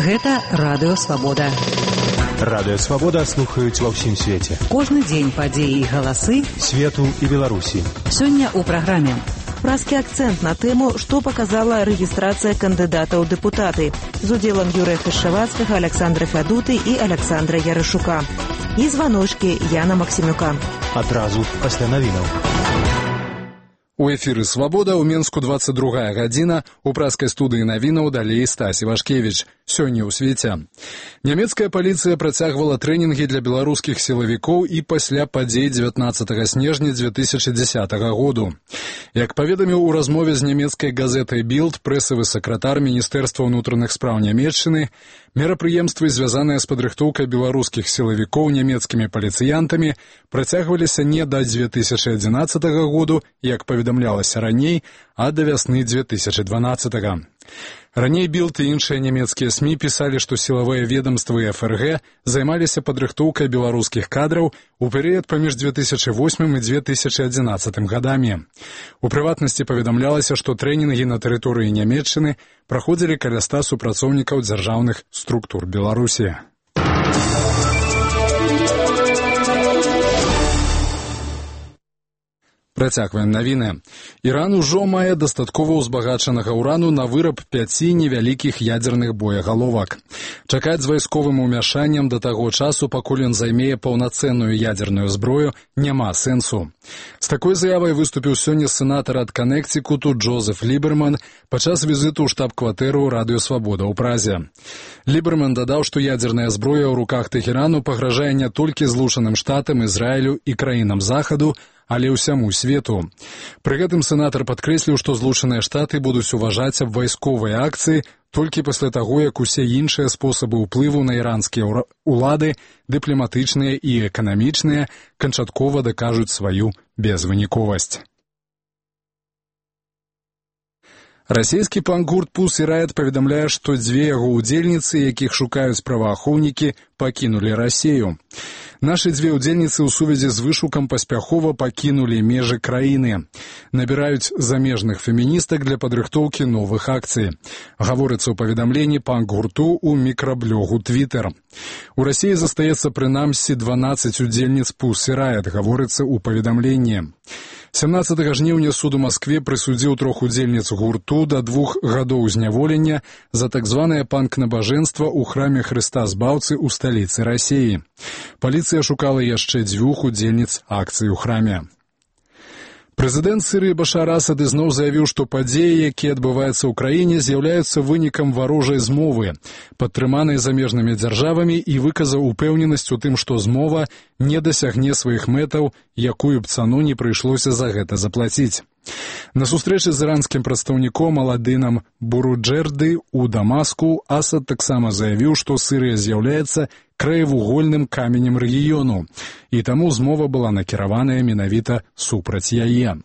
Гэта Радыё Свабода. Радыё Свабода слухаюць ва ўсім свеце. Кожны дзень падзеі і галасы свету і Беларусі. Сёння ў праграме празкі акцэнт на тэму, што паказала рэгістрацыя кандыдатаў у дэпутаты з удзелам Юрыя Хашчавацкага, Аляксандра Фядуты і Аляксандра Ярышука. І званочкі Яна Максімюка. Адразу пасля навінаў. У эфіры «Свабода» ў Менску 22 гадзіна, у празкай студыі навінаў далей Стась Івашкевіч. Сёння ў свеце. Нямецкая паліцыя працягвала трэнінгі для беларускіх сілавікоў і пасля падзей 19 снежня 2010 году. Як паведаміў у размове з нямецкай газетай «Білд» прэсавы сакратар Міністэрства ўнутраных спраў Нямецчыны, мерапрыемствы, звязаныя з падрыхтоўкай беларускіх сілавікоў нямецкімі паліцыянтамі, працягваліся не да 2011 году, як паведамлялася раней, а да вясны 2012. Раней «Білд» і іншыя нямецкія СМІ пісалі, што сілавыя ведамствы ФРГ займаліся падрыхтоўкай беларускіх кадраў у перыяд паміж 2008 і 2011 гадамі. У прыватнасці паведамлялася, што трэнінгі на тэрыторыі Нямецчыны праходзілі каля 100 супрацоўнікаў дзяржаўных структур Беларусі. Працягваем навіны. Іран ужо мае дастаткова ўзбагачанага ўрану на выраб 5 невялікіх ядзерных боегаловак. Чакаць з вайсковым умяшаннем да таго часу, пакуль ён займее паўнацэнную ядзерную зброю, няма сэнсу. З такой заявай выступіў сёння сенатар ад Канектикуту Джозеф Ліберман падчас візіту ў штаб-кватэру Радыё Свабода ў Празе. Ліберман дадаў, што ядзерная зброя ў руках Тэхерану пагражае не толькі Злучаным Штатам, Ізраілю і краінам Захаду, але ўсяму свету. Пры гэтым сенатар падкрэсліў, што Злучаныя Штаты будуць уважаць аб вайсковыя акцыі толькі пасля таго, як усе іншыя спосабы ўплыву на іранскія ўлады, дыпламатычныя і эканамічныя, канчаткова дакажуць сваю безвыніковасць. Расійскі панк-гурт «Pussy Riot» паведамляе, што 2 яго ўдзельніцы, якіх шукаюць праваахоўнікі, пакінулі Расію. Нашы 2 ўдзельніцы ў сувязі з вышукам паспяхова пакінулі межы краіны. Набіраюць замежных феміністак для падрыхтоўкі новых акцый. Гаворыцца ў паведамленні панк-гурту ў мікраблогу Twitter. У Расіі застаецца прынамсі 12 удзельніц «Pussy Riot», гаворыцца ў паведамленні. 17 жніўня суд у Маскве прысудзіў 3 удзельніц гурту да 2 гадоў зняволення за так званае панк-набажэнства ў храме Хрыста Збаўцы ў сталіцы Расіі. Паліцыя шукала яшчэ 2 удзельніц акцыі ў храме. Прэзідэнт Сірыі Башар Асад ізноў заявіў, што падзеі, якія адбываюцца ў краіне, з'яўляюцца вынікам варожай змовы, падтрыманай замежнымі дзяржавамі, і выказаў упэўненасць у тым, што змова не дасягне сваіх мэтаў, якую б цану не прыйшлося за гэта заплаціць. На сустрэчы з іранскім прадстаўніком Аладынам Буруджерды ў Дамаску Асад таксама заявіў, што Сірыя з'яўляецца краевугольным каменем рэгіёну, і таму змова была накіраваная менавіта супраць яе.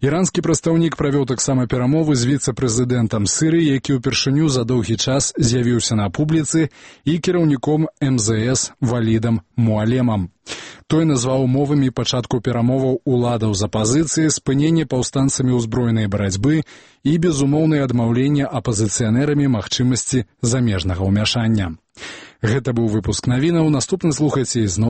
Іранскі прадстаўнік правёў таксама перамовы з віцэ-прэзідэнтам Сірыі, які ўпершыню за доўгі час з'явіўся на публіцы, і кіраўніком МЗС Валідам Муалемам. Той назваў умовамі пачатку перамоваў уладаў з апазіцыі, спыненне паўстанцамі ўзброенай барацьбы і безумоўнае адмаўленне апазіцыянэрамі магчымасці замежнага ўмяшання. Гэта быў выпуск навінаў. Наступны слухайце ізноў